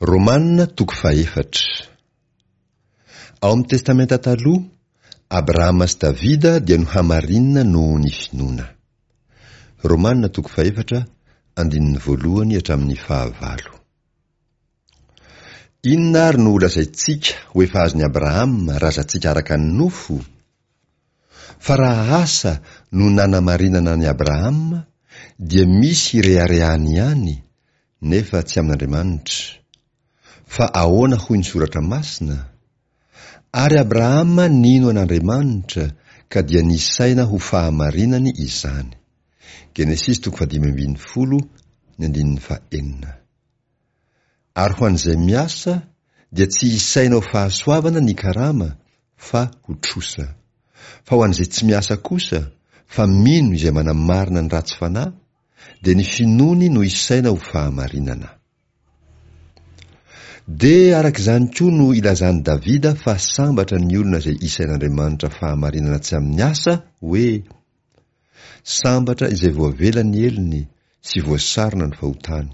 Romana toko fahefatra. Ao amin'ny Testamenta Taloha, Abrahama sy Davida dia nohamarinina noho ny finoana. Romana toko fahefatra, andininy voalohany hatramin'ny fahavalo. Inona ary no holazaintsika ho efa azon'i Abrahama razantsika araka ny nofo? Fa raha asa no nanamarinana an'i Abrahama, dia misy hireharehany ihany, nefa tsy amin'Andriamanitra. Fa ahoana hoy ny Soratra Masina? Ary Abrahama nino an'Andriamanitra, ka dia nisaina ho fahamarinany izany. Genesisy toko fahadimy ambin'ny folo, ny andininy fahenina. Ary ho an'izay miasa, dia tsy hisaina ho fahasoavana ny karama, fa ho trosa. Fa ho an'izay tsy miasa kosa, fa mino izay manamarina ny ratsy fanahy, dia ny finoany no isaina ho fahamarinana. Dia araka izany koa no ilazan'i Davida fa sambatra ny olona izay isain'Andriamanitra fahamarinana tsy amin'ny asa, hoe, Sambatra izay voavela ny helony sy voasarona ny fahotany.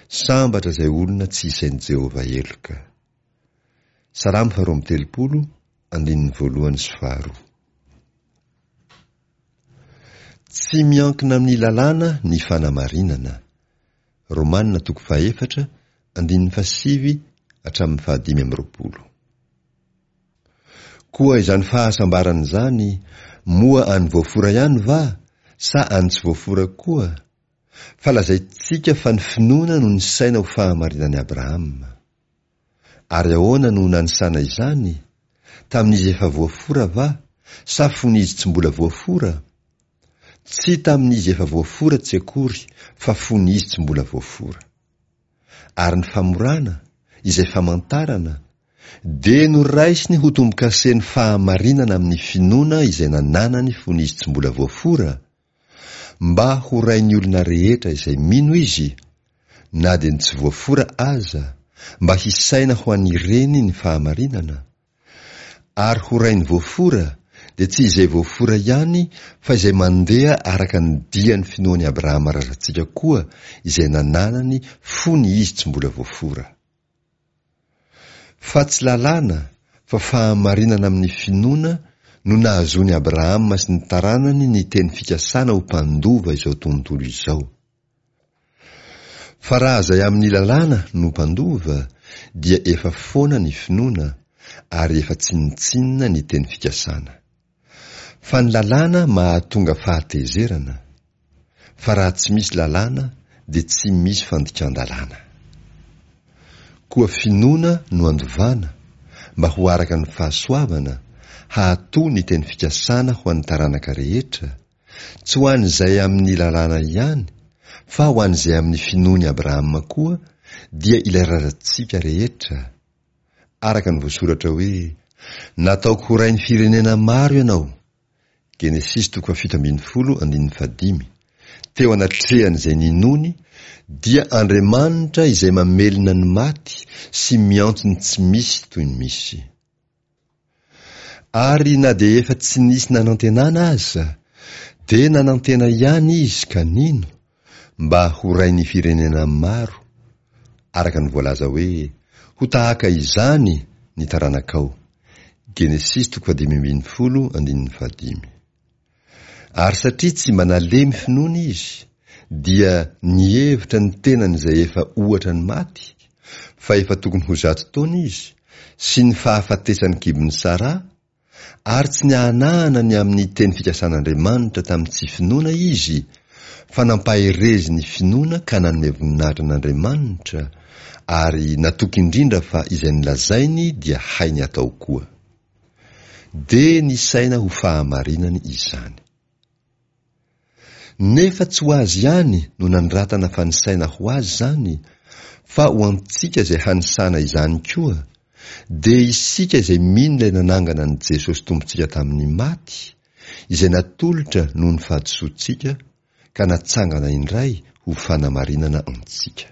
Sambatra izay olona tsy isain'i Jehovah heloka. Salamo faharoa amby telopolo, andininy voalohany sy faharoa. Tsy miankina amin'ny lalàna ny fanamarinana. Romana toko fahefatra, andininy fahasivy hatramin'ny fahadimy amby roapolo. Koa izany fahasambarana izany, moa an'ny voafora ihany va, sa an'ny tsy voafora koa? Fa lazaintsika fa ny finoana no nisaina ho fahamarinan'i Abrahama. Ary ahoana no nanisana izany? Tamin'izy efa voafora va, sa fony izy tsy mbola voafora? Tsy tamin'izy efa voafora tsy akory, fa fony izy tsy mbola voafora. Ary ny famorana, izay famantarana, dia noraisiny ho tombokasen'ny fahamarinana amin'ny finoana izay nananany fony izy tsy mbola voafora, mba ho rain'ny olona rehetra izay mino izy, na dia ny tsy voafora aza, mba hisaina ho an'ireny ny fahamarinana, ary ho rain'ny voafora dia tsy izay voafora ihany fa izay mandeha araka ny dian'ny finoan'i Abrahama razantsika koa izay nananany fony izy tsy mbola voafora. Fa tsy lalàna fa fahamarinana amin'ny finoana no nahazoan'i Abrahama sy ny taranany ny teny fikasana ho mpandova izao tontolo izao. Fa raha izay amin'ny lalàna no mpandova dia efa foana ny finoana ary efa tsinontsinona ny teny fikasana. Fa ny lalàna mahatonga fahatezerana, fa raha tsy misy lalàna dia tsy misy fandikan-dalàna. Koa finoana no andovana mba ho araka ny fahasoavana hahato ny teny fikasana ho an'ny taranaka rehetra, Tsy ho an'izay amin'ny lalàna ihany, fa ho an'izay amin'ny finoan'i Abrahama koa, dia ilay razantsika rehetra. Araka ny voasoratra hoe, Nataoko ho rain'ny firenena maro ianao. Genesisy toko fahafito ambin'ny folo andininy fahadimy. Teo anatrehan'izay ninoany, dia Andriamanitra izay mamelona ny maty sy miantso ny tsy misy toy ny misy. Ary na dia efa tsy nisy nanantenana aza, dia nanantena ihany izy ka nino, mba ho rain'ny firenena maro, araka ny voalaza hoe, Ho tahaka izany ny taranakao. Genesisy toko fahadimy ambin'ny folo andininy fahadimy. Ary satria tsy mba nalemy finoana izy, dia nihevitra ny tenany izay efa ohatra ny maty, fa efa tokony ho zato taona izy, sy ny fahafatesan'ny kibon'i Saraha, ary tsy niahanahana ny amin'ny teny fikasan'Andriamanitra tamin'ny tsy finoana izy, fa nampaherezin'ny finoana ka nanome voninahitra an'Andriamanitra, ary natoky indrindra fa izay nolazainy dia hainy atao koa. Dia nisaina ho fahamarinany izany. Nefa tsy ho azy ihany no nanoratana fa nisaina ho azy izany, fa ho antsika izay hanisana izany koa, dia isika izay mino ilay nanangana an'i Jesosy Tompontsika tamin'ny maty, izay natolotra noho ny fahadisoantsika ka natsangana indray ho fanamarinana antsika.